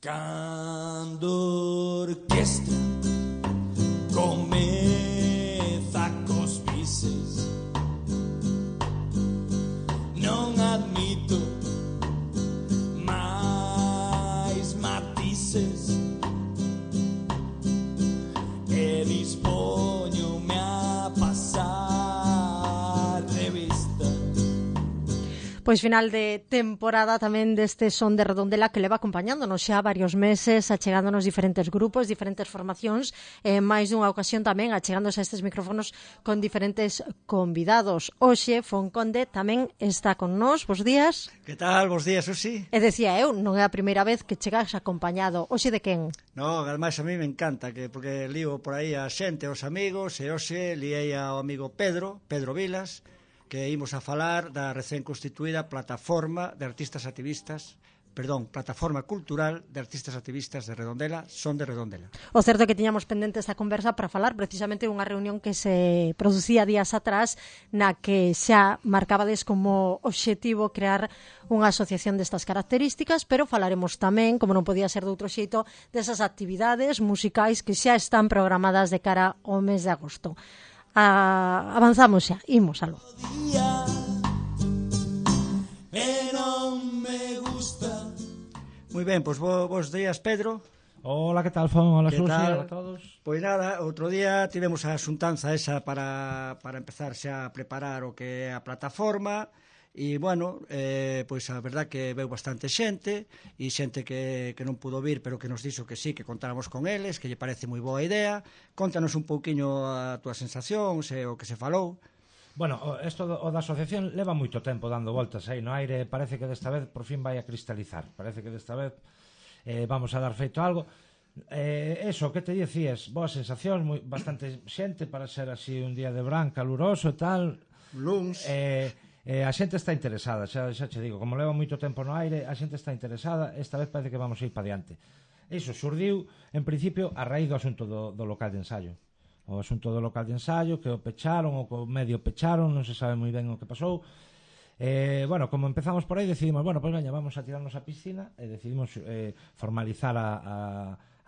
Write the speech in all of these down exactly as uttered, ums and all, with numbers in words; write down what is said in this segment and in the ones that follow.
Cando orquestra comeza cos bises, non admito máis matices e dispoñome a pasar revista. Pois final de temporada tamén deste Son de Redondela que leva acompañándonos xa varios meses, achegándonos diferentes grupos, diferentes formacións, e máis dunha ocasión tamén achegándose a estes micrófonos con diferentes convidados. Hoxe Fonconde tamén está con nós. Bos días. Que tal? Bos días, Susi. E decía eu, non é a primeira vez que chegas acompañado. Hoxe de quen? No, ademais a mí me encanta que porque lío por aí a xente, os amigos, e hoxe liei ao amigo Pedro, Pedro Vilas, que imos a falar da recén constituída Plataforma de Artistas Activistas, perdón, Plataforma Cultural de Artistas Activistas de Redondela, Son de Redondela. O certo é que tiñamos pendente esta conversa para falar precisamente unha reunión que se producía días atrás na que xa marcabades como obxectivo crear unha asociación destas características, pero falaremos tamén, como non podía ser de outro xeito, desas actividades musicais que xa están programadas de cara ao mes de agosto. Ah, avanzamos xa, imos algo. Moi ben, pois bo, bos días, Pedro. Hola, que tal, Fon? Hola, Que Susi, tal? hola a todos. Pois nada, outro día tivemos a xuntanza esa para, para empezar xa a preparar o que é a plataforma. E, bueno, eh, pois a verdad que veu bastante xente e xente que, que non pudo vir pero que nos dixo que sí, que contáramos con eles, que lle parece moi boa idea. Contanos un pouquiño a túa sensación, se o que se falou. Bueno, isto o da asociación leva moito tempo dando voltas aí no aire, parece que desta vez por fin vai a cristalizar, parece que desta vez eh, vamos a dar feito algo. Eh, eso, que te dicías, boas sensacións, moi, bastante xente para ser así un día de verán caluroso e tal. Luns. Eh, Eh, a xente está interesada, xa, xa che digo, como leva moito tempo no aire, a xente está interesada, esta vez parece que vamos a ir para diante. Iso xurdiu, en principio, a raíz do asunto do, do local de ensaio. O asunto do local de ensaio, que o pecharon, ou que o medio pecharon, non se sabe moi ben o que pasou. Eh, bueno, como empezamos por aí, decidimos, bueno, pois pues, veña, vamos a tirarnos a piscina, e decidimos eh, formalizar a, a,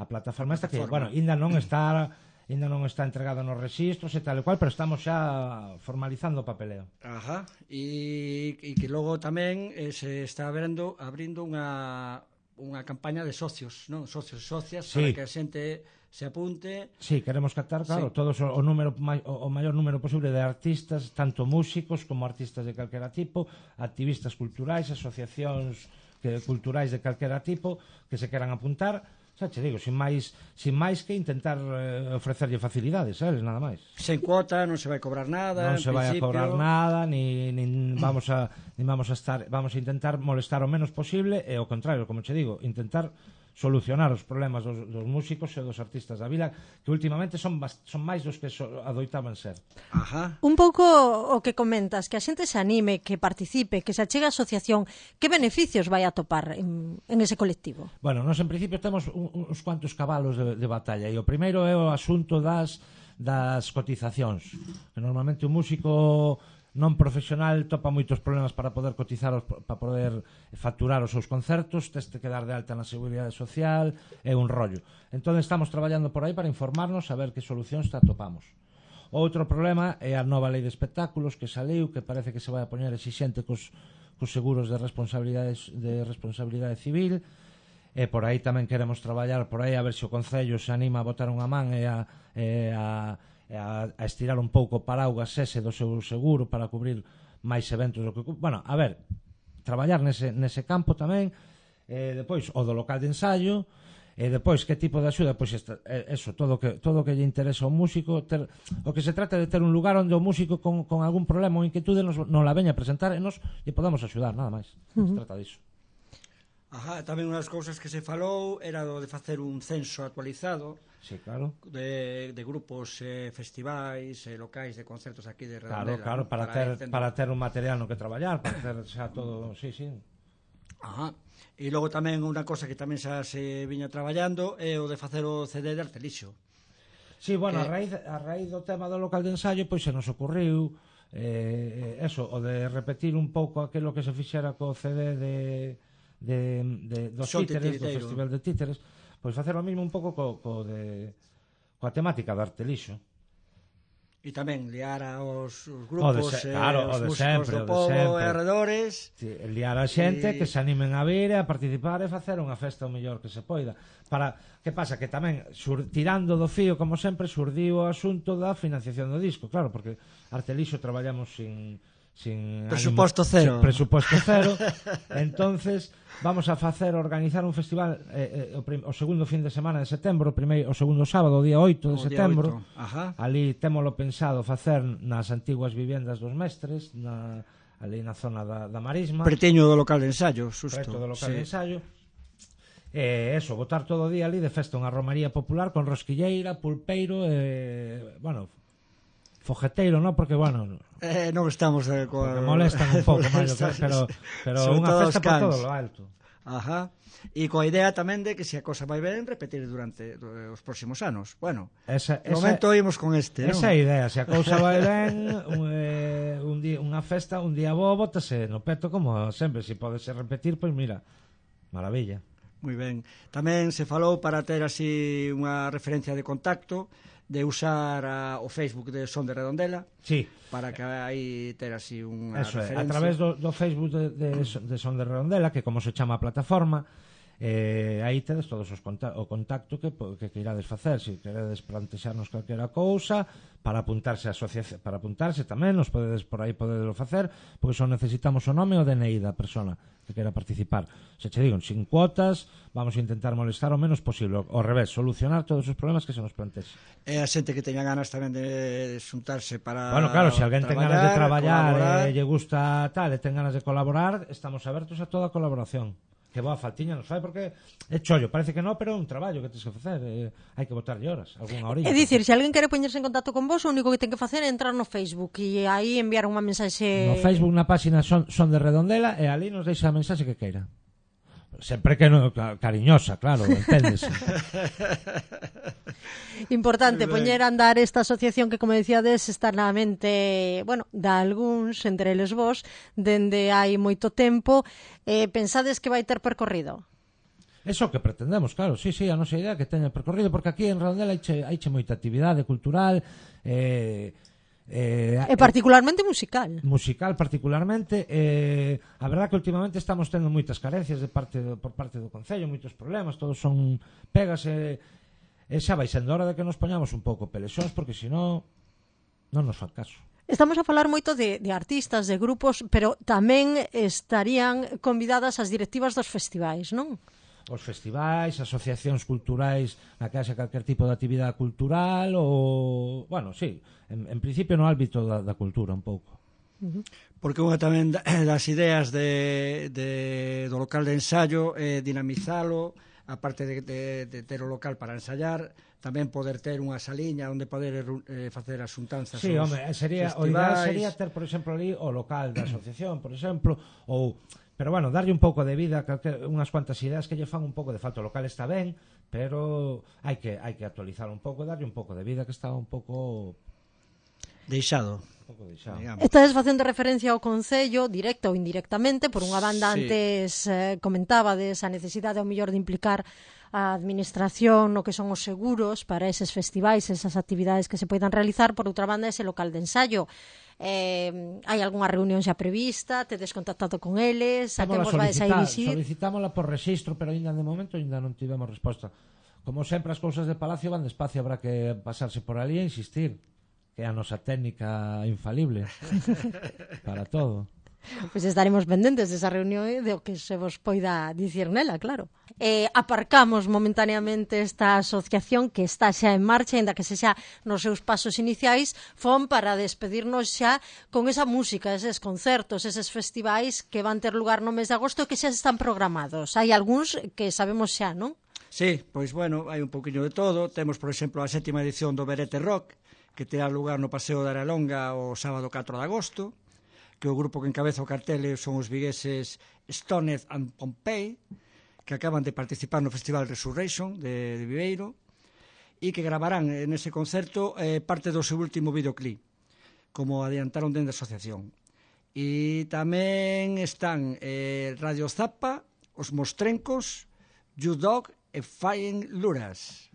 a plataforma esta, que, bueno, ainda non está... ainda non está entregado nos registros e tal e cual, pero estamos xa formalizando o papeleo. Ajá, e, e que logo tamén eh, se está abrindo, abrindo unha, unha campaña de socios, non? Socios e socias, sí, para que a xente se apunte. Sí, queremos captar, claro, sí, todos o, o número o, o maior número posible de artistas, tanto músicos como artistas de calquera tipo, activistas culturais, asociacións que, culturais de calquera tipo, que se queran apuntar. Xa che digo, sin máis, sin máis que intentar eh, ofrecerlle facilidades, eles, nada máis. Sen cuota, non se vai cobrar nada, non se vai a cobrar nada, ni, ni vamos a ni vamos a estar, vamos a intentar molestar o menos posible e ao contrario, como che digo, intentar solucionar os problemas dos, dos músicos e dos artistas da vila, que últimamente son, son máis dos que so, adoitaban ser. Ajá. Un pouco o que comentas, que a xente se anime, que participe, que se achegue a asociación, que beneficios vai a topar en, en ese colectivo? Bueno, nós en principio temos un, uns cuantos cabalos de, de batalla, e o primeiro é o asunto das, das cotizacións, que normalmente o músico non profesional topa moitos problemas para poder cotizar, os, para poder facturar os seus concertos, teste que dar de alta na Seguridade Social, é un rollo. Entón estamos traballando por aí para informarnos a ver que solucións atopamos. Outro problema é a nova lei de espectáculos que saliu, que parece que se vai a poñer exixente cos, cos seguros de responsabilidade, de responsabilidade civil, e por aí tamén queremos traballar por aí a ver se o Concello se anima a botar unha man e a... E a A, a estirar un pouco o paraugas ese do seu seguro para cubrir máis eventos do que... Bueno, a ver, traballar nese, nese campo tamén, e depois o do local de ensaio, e depois que tipo de axuda, pois esta, eso, todo que, todo que lle interesa ao músico, ter, o que se trata de ter un lugar onde o músico con, con algún problema ou inquietude nos, nos la veña a presentar e nos lle podamos axudar, nada máis. Uh-huh. Se trata disso. Ajá, tamén unhas cousas que se falou era do de facer un censo actualizado. Sí, claro. De, de grupos, eh, festivais, eh, locais de concertos aquí de Redondela. Claro, claro, para, para, ter, para ter un material no que traballar, para ter xa todo, sí, sí. Ajá. E logo tamén unha cosa que tamén xa se viña traballando é o de facer o C D de Artelixo. Sí, bueno, que... a, raíz, a raíz do tema do local de ensayo, pois se nos ocurriu eh, eso, o de repetir un pouco aquilo que se fixera co C D de de, de, dos Son títeres, do titiriteiro. Festival de Títeres, pois facer o mismo un pouco co, co de coa temática do Artelixo. E tamén liar aos os O de grupos, se- eh, claro, o os de músicos sempre, do o de pobo sempre. e arredores. Sí, liar a xente E- que se animen a vir e a participar e facer unha festa o mellor que se poida. Para, que pasa? Que tamén, sur, tirando do fío, como sempre, surdiu o asunto da financiación do disco, claro, porque Artelixo traballamos sin... sin Presuposto ánimo, cero. sin presuposto cero. Entonces vamos a facer organizar un festival eh, eh, o, prim, o segundo fin de semana de setembro, o primeiro o segundo sábado, o día oito de O día setembro. oito. Ajá. Ali témolo pensado facer nas antiguas vivendas dos mestres, na, ali na zona da, da Marisma, Pretiño do local de ensayo, susto. preto do local Sí. de ensayo. E eso, botar todo o día ali de festa unha romaría popular con rosquilleira, pulpeiro e, bueno, fogueteiro, non? Porque, bueno, Eh, non estamos eh, coa... porque molestan un pouco máis, pero, pero Sobre unha todo festa os por cans. todo lo alto. Ajá. E coa idea tamén de que se a cosa vai ben, repetir durante eh, os próximos anos. Bueno, Esa, de esa, momento oímos con este, non? esa é a idea, se a cousa vai ben, un, eh, un día, unha festa, un día bo, bótase no peto como sempre, se pode se repetir, pois mira, maravilla. Moi ben. Tamén se falou para ter así unha referencia de contacto de usar a, o Facebook de Son de Redondela Sí, para que aí ter así unha eso é, referencia. a través do, do Facebook de, de, de Son de Redondela, que como se chama a plataforma, eh, aí tedes todos os conta o contacto que, que, que irades facer, se queredes plantexarnos calquera cousa, para apuntarse a asociación, para apuntarse tamén, nos podedes por aí podedelo facer, porque só necesitamos o nome e o D N I da persona que quera participar. Se che digo, sin cuotas, vamos a intentar molestar o menos posible, ao revés, solucionar todos os problemas que se nos plantexe. E a xente que teña ganas tamén de xuntarse para Bueno, claro, se alguén ten ganas de traballar colaborar. e lle gusta tal, e ten ganas de colaborar, estamos abertos a toda a colaboración. Que boa faltiña nos fai, porque é chollo, parece que non, pero é un traballo que tens que facer, eh, hai que botarlle horas, algunha orilla. É dicir, se alguén quere poñerse en contacto con vos, o único que ten que facer é entrar no Facebook e aí enviar unha mensaxe... No Facebook na página son, son de Redondela e ali nos deixa a mensaxe que queira. Sempre que non, cariñosa, claro, enténdese. Importante poñer a andar esta asociación que, como decíades, está na mente, bueno, da algúns, entre eles vos, dende hai moito tempo. Eh, pensades que vai ter percorrido? Eso que pretendemos, claro, sí, sí, a nosa idea que teña percorrido, porque aquí en Redondela haiche, haiche moita actividade cultural, eh, eh, E particularmente musical. musical particularmente, eh, a verdad que últimamente estamos tendo moitas carencias de parte do, por parte do Concello, moitos problemas, todos son pegas e, e xa vai sendo hora de que nos poñamos un pouco pelexóns, porque senón non nos fan caso. Estamos a falar moito de, de artistas, de grupos, pero tamén estarían convidadas as directivas dos festivais, non? Os festivais, asociacións culturais na que haxa calquer tipo de actividade cultural ou, bueno, sí, en, en principio no ámbito da, da cultura un pouco. Porque unha tamén das ideas de, de, do local de ensayo é eh, dinamizalo, aparte de, de, de ter o local para ensayar, tamén poder ter unha saliña onde poder eh, facer as xuntanzas. Sí, aos home, sería, o festivais. ideal sería ter, por exemplo, ali o local da asociación, por exemplo, ou, pero bueno, darlle un pouco de vida, calquer, unhas cuantas ideas que lle fan un pouco de falta. O local está ben, pero hai que hai que actualizar un pouco, darlle un pouco de vida, que está un pouco Deixado. un pouco deixado. Digamos. Estades facendo referencia ao Concello, directa ou indirectamente, por unha banda Sí. antes eh, comentábades a necesidade ao mellor de implicar a administración no que son os seguros para eses festivais, esas actividades que se poidan realizar, por outra banda ese local de ensayo. Eh, hai algunha reunión xa prevista, tedes contactado con eles, a que Témola vos vais a solicitar, dirixir? solicitámola por rexistro, pero ainda de momento ainda non tivemos resposta. Como sempre as cousas de Palacio van despacio, habrá que pasarse por ali e insistir, que é a nosa técnica infalible para todo. Pois estaremos pendentes desa reunión e de o que se vos poida dicir nela, claro. Eh, aparcamos momentaneamente esta asociación que está xa en marcha, ainda que se xa nos seus pasos iniciais, fon para despedirnos xa con esa música, eses concertos, eses festivais que van ter lugar no mes de agosto e que xa están programados. Hai algúns que sabemos xa, non? Sí, pois bueno, hai un pouquiño de todo. Temos, por exemplo, a sétima edición do Berete Rock, que terá lugar no Paseo da Aralonga o sábado catro de agosto, que o grupo que encabeza o cartel son os vigueses Stoned and Pompey, que acaban de participar no Festival Resurrection de, de Viveiro, e que gravarán nese concerto eh, parte do seu último videoclip, como adiantaron dentro da asociación. E tamén están eh, Radio Zappa, Os Mostrencos, You Dog e Flying Luras.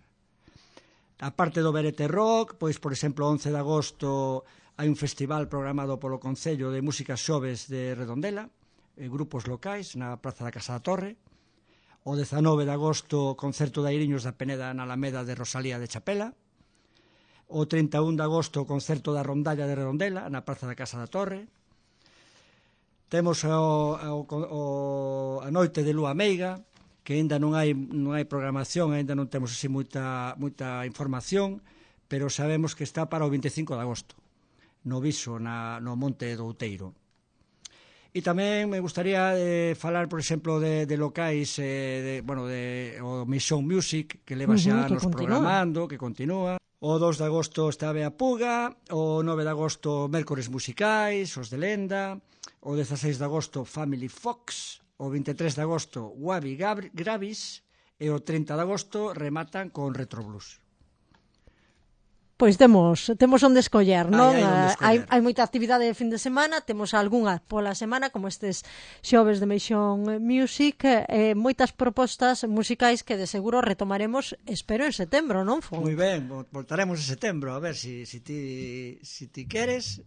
A parte do Verete Rock, pois, por exemplo, once de agosto hai un festival programado polo Concello de Músicas Xoves de Redondela, e grupos locais na Praza da Casa da Torre. O dezanove de agosto, concerto de Airiños da Peneda na Alameda de Rosalía de Chapela. O trinta e un de agosto, concerto da Rondalla de Redondela na Praza da Casa da Torre. Temos o, o, o, a noite de Lúa Meiga, que aínda non hai, non hai programación, aínda non temos así moita, moita información, pero sabemos que está para o vinte e cinco de agosto, no Viso, na, no Monte do Outeiro. E tamén me gustaría eh, falar, por exemplo, de, de locais, eh, de, bueno, de o Mission Music, que leva xa Uh-huh, anos que programando, que continúa. O dos de agosto está a Bea Puga, o nove de agosto Mércores Musicais, os de Lenda, o dezaseis de agosto Family Fox, o vinte e tres de agosto Wabi Gravis e o trinta de agosto rematan con Retro Blues. Pois temos temos onde escoller, non? Hai, hai onde escoller. Hai, hai moita actividade de fin de semana, temos algunha pola semana, como estes xoves de Mission Music, e eh, moitas propostas musicais que de seguro retomaremos, espero, en setembro, non, Fon? Moi ben, voltaremos en setembro, a ver si, si, ti, si ti queres.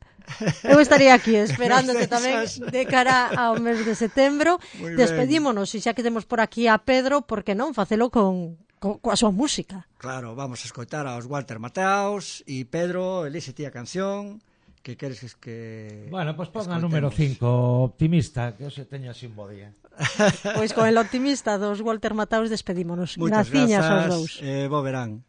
Eu estaría aquí esperándote tamén de cara ao mes de setembro. Despedímonos, e xa que temos por aquí a Pedro, por que non facelo con... Co, coa súa música. Claro, vamos a escoitar aos Walter Mateaus e Pedro, elixe ti a canción que queres que... Bueno, pois pues ponga número cinco, Optimista, que se teña así un bo día. Pois con el Optimista dos Walter Mateaus despedímonos. Moitas Graciñas aos grazas, dous. eh, bo verán.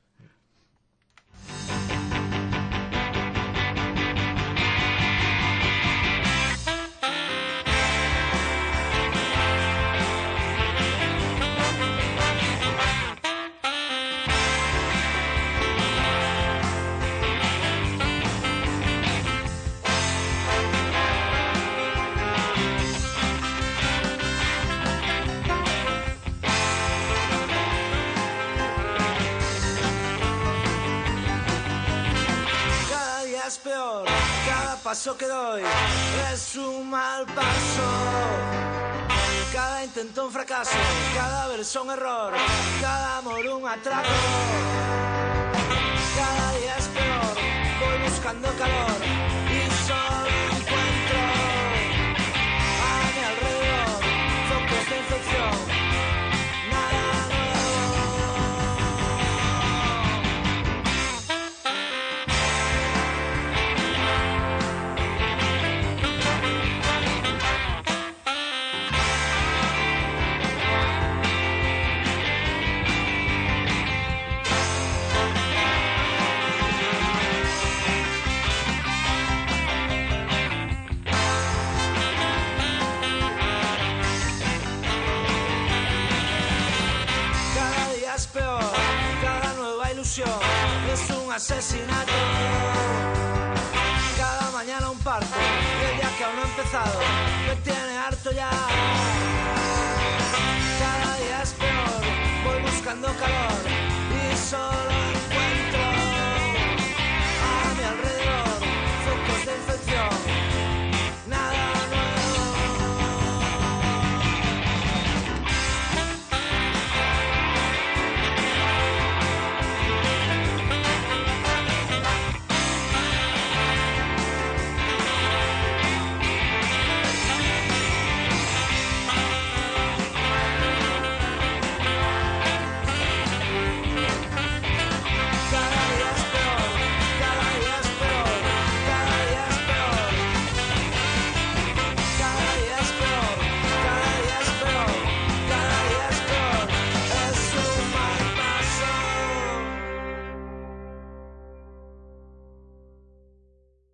Paso que doy es un mal paso. Cada intento un fracaso, cada verso un error, cada amor un atraco. Cada día es peor, voy buscando calor y solo encuentro a mi alrededor focos de infección. Es un asesinato. Cada mañana un parto y el día que aún no ha empezado me tiene harto ya. Cada día es peor, voy buscando calor